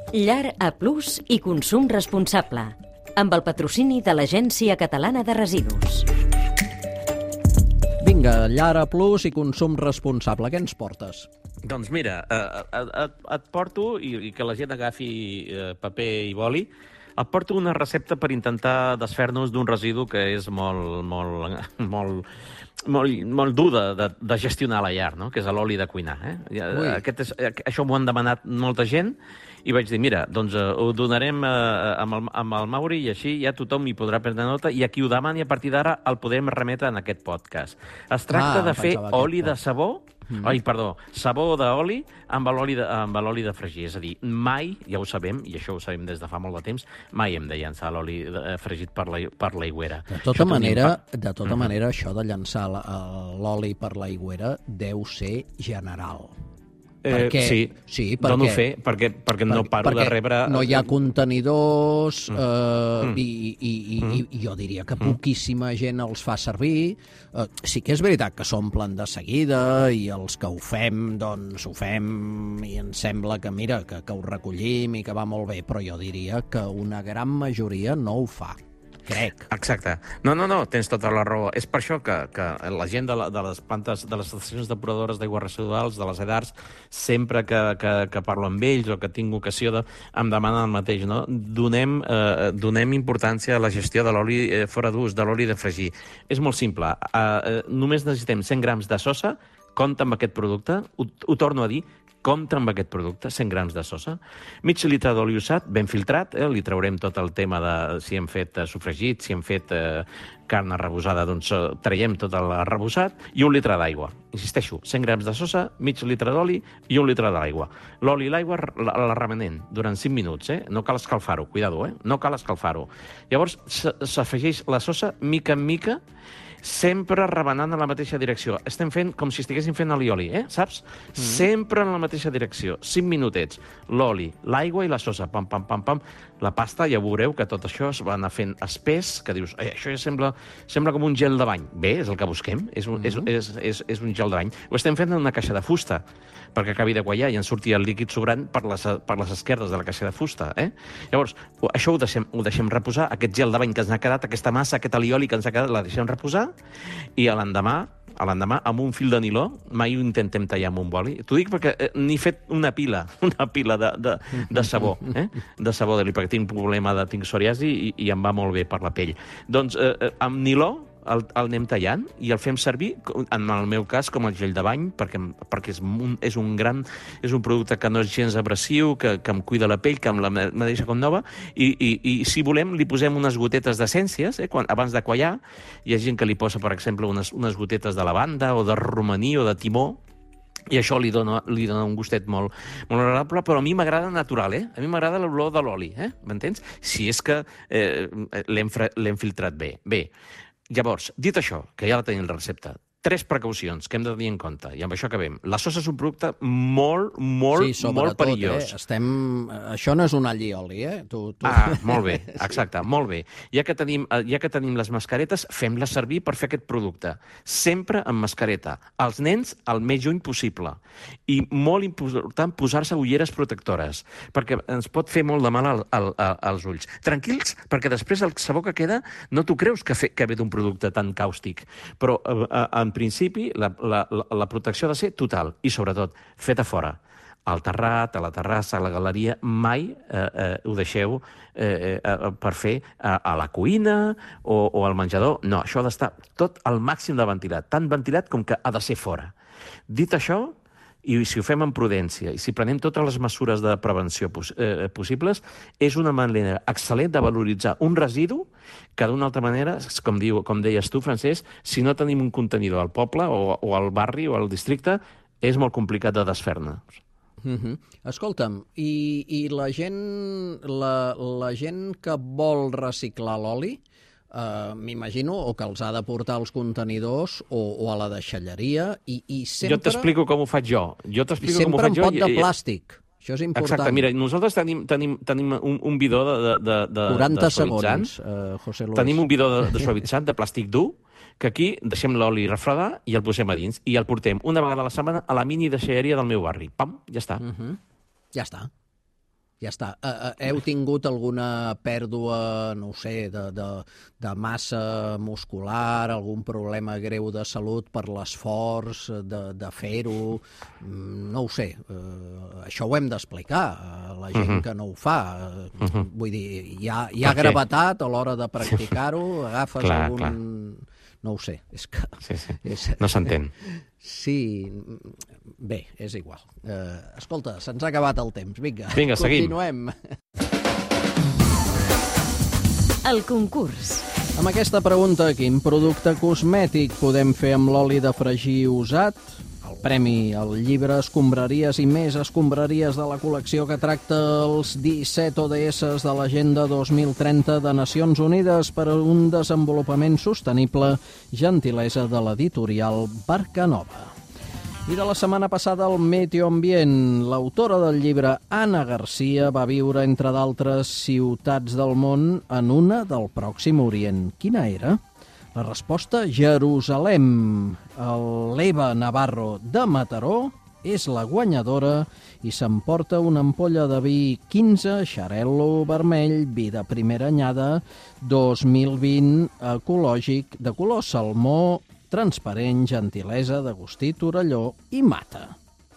Llar A+ i consum responsable, amb el patrocini de l'Agència Catalana de Residus. Vinga, Llar A+ i consum responsable. Què ens portes? Doncs mira, et porto, i que la gent agafi paper i boli, et porto una recepta per intentar desfer-nos d'un residu que és molt dur de gestionar a la llar, no? Que és l'oli de cuinar. Això m'ho han demanat molta gent i vaig dir, mira, doncs ho donarem amb el Mauri i així ja tothom hi podrà prendre nota i a qui ho demani a partir d'ara el podem remetre en aquest podcast. Es tracta de fer oli de sabó, sabó d'oli amb l'oli de fregir. És a dir, mai, ja ho sabem, i això ho sabem des de fa molt de temps, mai hem de llançar l'oli fregit per l'aigüera. De tota manera, això de llançar l'oli per l'aigüera deu ser general. Sí, dono fe, perquè no paro de rebre... No hi ha contenidors i jo diria que poquíssima gent els fa servir. Sí que és veritat que s'omplen de seguida i els que ho fem, doncs ho fem i ens sembla que, mira, que ho recollim i que va molt bé, però jo diria que una gran majoria no ho fa. Crec. Exacte. No, tens tota la raó. És per això que la gent de les plantes, de les estacions depuradores d'aigües residuals, de les EDARs, sempre que parlo amb ells o que tinc ocasió em demanen el mateix, no? Donem importància a la gestió de l'oli fora d'ús, de l'oli de fregir. És molt simple. Només necessitem 100 grams de sosa, compta amb aquest producte, ho torno a dir, compta amb aquest producte, 100 grams de sosa, mig litre d'oli usat, ben filtrat, li traurem tot el tema de si hem fet sofregit, si hem fet carn arrebossada, doncs traiem tot el arrebossat, i 1 litre d'aigua. Insisteixo, 100 grams de sosa, mig litre d'oli i 1 litre d'aigua. L'oli i l'aigua la remenem durant 5 minuts, no cal escalfar-ho, cuidado, no cal escalfar-ho. Llavors s'afegeix la sosa mica en mica, sempre remenant en la mateixa direcció. Estem fent com si estiguéssim fent alioli, saps? Sempre en la mateixa direcció. 5 minutets. L'oli, l'aigua i la sosa. Pam, pam, pam, pam. La pasta, ja veureu que tot això es va anar fent espès, que dius, això ja sembla com un gel de bany. Bé, és el que busquem. És un gel de bany. Ho estem fent en una caixa de fusta, perquè acabi de quallar i en surti el líquid sobrant per les esquerdes de la caixa de fusta. Llavors, això ho deixem reposar, aquest gel de bany que ens ha quedat, aquesta massa, aquest alioli que ens ha quedat, la deixem reposar, i l'endemà, amb un fil de niló, mai ho intentem tallar amb un boli. T'ho dic perquè n'he fet una pila de sabó, de sabó d'oli, perquè tinc problema tinc psoriasi i em va molt bé per la pell. Doncs amb niló el anem tallant i el fem servir, en el meu cas, com el gel de bany, perquè és un producte que no és gens abrasiu, que em cuida la pell, que me deixa com nova, i si volem li posem unes gotetes d'essències, abans de quallar. Hi ha gent que li posa, per exemple, unes gotetes de lavanda o de romaní o de timó, i això li dona un gustet molt agradable, però a mi m'agrada natural, A mi m'agrada l'olor de l'oli, m'entens? Si és que l'hem filtrat bé. Bé, llavors, dit això, que ja la tenim la recepta, 3 precaucions que hem de tenir en compte, i amb això acabem. La sosa és un producte molt perillós. Això no és un all i oli, Molt bé, exacte, molt bé. Ja que tenim les mascaretes, fem-les servir per fer aquest producte. Sempre amb mascareta. Els nens, el més lluny possible. I molt important, posar-se ulleres protectores, perquè ens pot fer molt de mal als ulls. Tranquils, perquè després el sabó que queda no t'ho creus que ve d'un producte tan càustic. Però en principi, la protecció ha de ser total i, sobretot, feta fora. Al terrat, a la terrassa, a la galeria, mai ho deixeu per fer a la cuina o al menjador. No, això ha d'estar tot al màxim de ventilat, tan ventilat com que ha de ser fora. Dit això, i si ho fem amb prudència, i si prenem totes les mesures de prevenció possibles, és una manera excel·lent de valoritzar un residu que d'una altra manera, com deies tu, Francesc, si no tenim un contenidor al poble o al barri o al districte, és molt complicat de desfer-ne. Escolta'm, i la gent que vol reciclar l'oli, m'imagino, o que els ha de portar als contenidors o a la deixalleria, i sempre... Jo t'explico com ho faig jo. Sempre en pot de plàstic. Això és important. Exacte, mira, nosaltres tenim un bidó de 40 segons, José Luis. Tenim un bidó de suavitzant, de plàstic dur, que aquí deixem l'oli refredar i el posem a dins, i el portem una vegada a la setmana a la mini deixalleria del meu barri. Pam, ja està. Ja està. Ja està. Heu tingut alguna pèrdua, no ho sé, de massa muscular, algun problema greu de salut per l'esforç de fer-ho? No ho sé. Això ho hem d'explicar a la gent que no ho fa. Vull dir, hi ha gravetat a l'hora de practicar-ho? Agafes algun... Clar. No ho sé, és que... Sí. No s'entén. Sí, bé, és igual. Escolta, se'ns ha acabat el temps. Vinga, seguim. Continuem. El concurs. Amb aquesta pregunta, quin producte cosmètic podem fer amb l'oli de fregir usat? El premi al llibre Escombraries i més escombraries de la col·lecció que tracta els 17 ODS de l'Agenda 2030 de Nacions Unides per a un desenvolupament sostenible, gentilesa de l'editorial Barcanova. I de la setmana passada, el Meteo Ambient. L'autora del llibre, Anna Garcia, va viure, entre d'altres ciutats del món, en una del Pròxim Orient. Quina era? La resposta, Jerusalem. L'Eva Navarro de Mataró és la guanyadora i s'emporta una ampolla de vi 15 Xarel·lo vermell, vi de primera anyada, 2020, ecològic, de color salmó, transparent, gentilesa d'Agustí Torelló i Mata.